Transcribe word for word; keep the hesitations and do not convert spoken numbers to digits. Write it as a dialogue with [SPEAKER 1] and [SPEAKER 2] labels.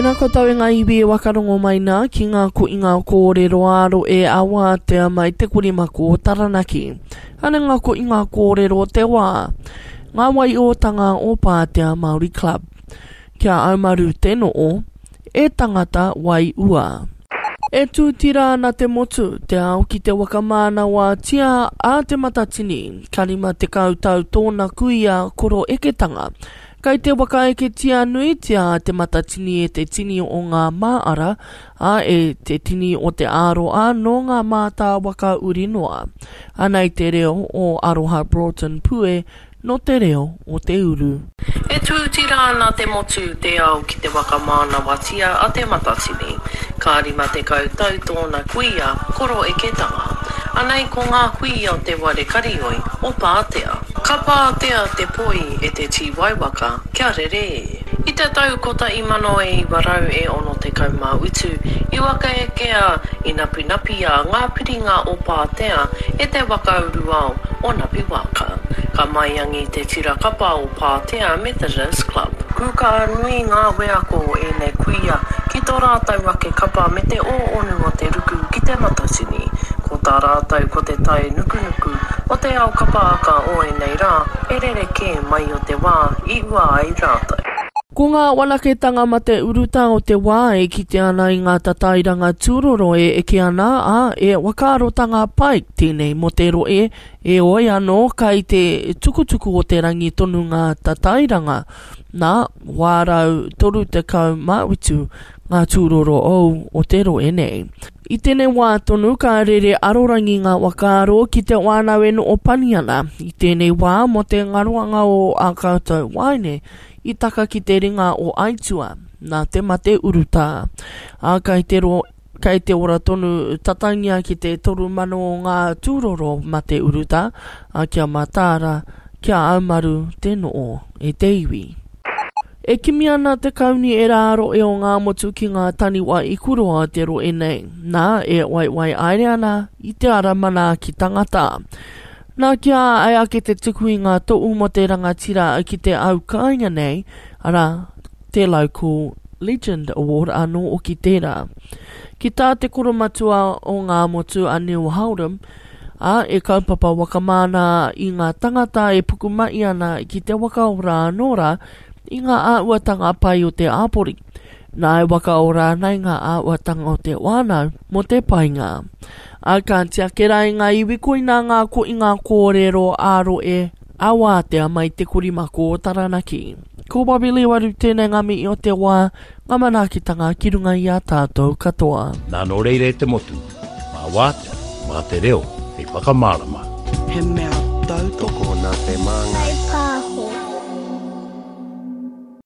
[SPEAKER 1] Tēnā koutou e ngā iwi e wakarongo mai nā ki ngā koinga kōrero āro e awātea mai te korimako o Taranaki. Ana ngā koinga kōrero o te wā, ngā waiotanga o Pātea Māori Club. Kia aumaru te noo, e tangata wai ua. E tūtira ana te motu, te ao ki te wakamānawatia a Te Matatini, ka rima tekau tau tōna kuia koro eketanga. Kai te wakaeketia nuitia a Te Matatini e te tini o ngā māara, ā, e te tini o te āroa nō ngā mātāwaka uri noa. Anei te reo o Aroha Broughton Pue nō te reo o te uru.
[SPEAKER 2] E tūtira ana te motu, te ao ki te waka mānawatia a Te Matatini. Ka rima tekau tau tōna kuia, koro eketanga. Anei ko ngā kuia o te ware karioi, o Pātea. Ka pātea te poi e te tīwaiwaka, kia rere e. I te tau kotahi mano e iwa rau e ono tekau mā utu, i wakaekea, i napinapia ngā piringa o Pātea e te waka uruao o Napiwaka. Ka maiangi te tira kapa o Pātea Methodist Club. Kūkaha nui ngā wheako o ēnei kuia ki tō rātou ake kapa me te ōonu o te ruku ki Te Matatini. Ko tā rātou ko te tae nukunuku o te ao kapa aka o ēnei rā e rerekē mai o te wā i ua ai rātou.
[SPEAKER 1] Ko ngā wanaketanga mate urutā o te wā e kite ana i ngā tatairanga tūroro e eke ana, ā, e whakaarotanga pai tēnei mō te rohe, heoi anō kai te tukutuku o te rangi tonu ngā tatairanga, nā, wā rau toru tekau mā whitu ngā tūroro ou o te rohe nei. I tēnei wā tonu ka rere arorangi ngā whakaaro ki te whānau e noho pani ana i tēnei wā mō te ngaroanga o ā koutou waeine i taka ki te ringa o Aitua nā te mate urutā. Ā, kai te ro, kai te ora tonu tatangia ki te toru mano o ngā tūroro mate urutā, ā, kia mataara, kia aumaru te noo e te iwi. E kimi ana te kauni e rā roe o Ngāmotu ki ngā taniwha i kuroa te roe nei, nā, e waiwai aere ana i te ara manaaki tangata. Nā, kia ai ake te tuku i ngā tohu mō te rangatira ki te au kāinga nei, arā, te Local Legend Award anō hoki tērā. Ki tā te koromatua o Ngāmotu a Neil Holdom, ā, e kaupapa whakamana i ngā tangata e pukumahi ana ki te whakaora anō rā i ngā āhuatanga pai o te hapori. Nā e whakaora ana i ngā āhuatanga o te whānau mō te painga. Ā, ka tiaki rā i ngā iwi koinā ngā koinga kōrero ā-rohe ā wātea mai te korimako o Taranaki. Ko Bobby Lewaru tēnei ngā mihi o te wā, ngā manaakitanga ki runga i a tātou katoa.
[SPEAKER 3] Nā nō reira e te motu, mā wātea, mā te reo hei whakamārama.
[SPEAKER 4] He mea tautoko
[SPEAKER 5] Tokona te māngai.
[SPEAKER 6] Whai pāho.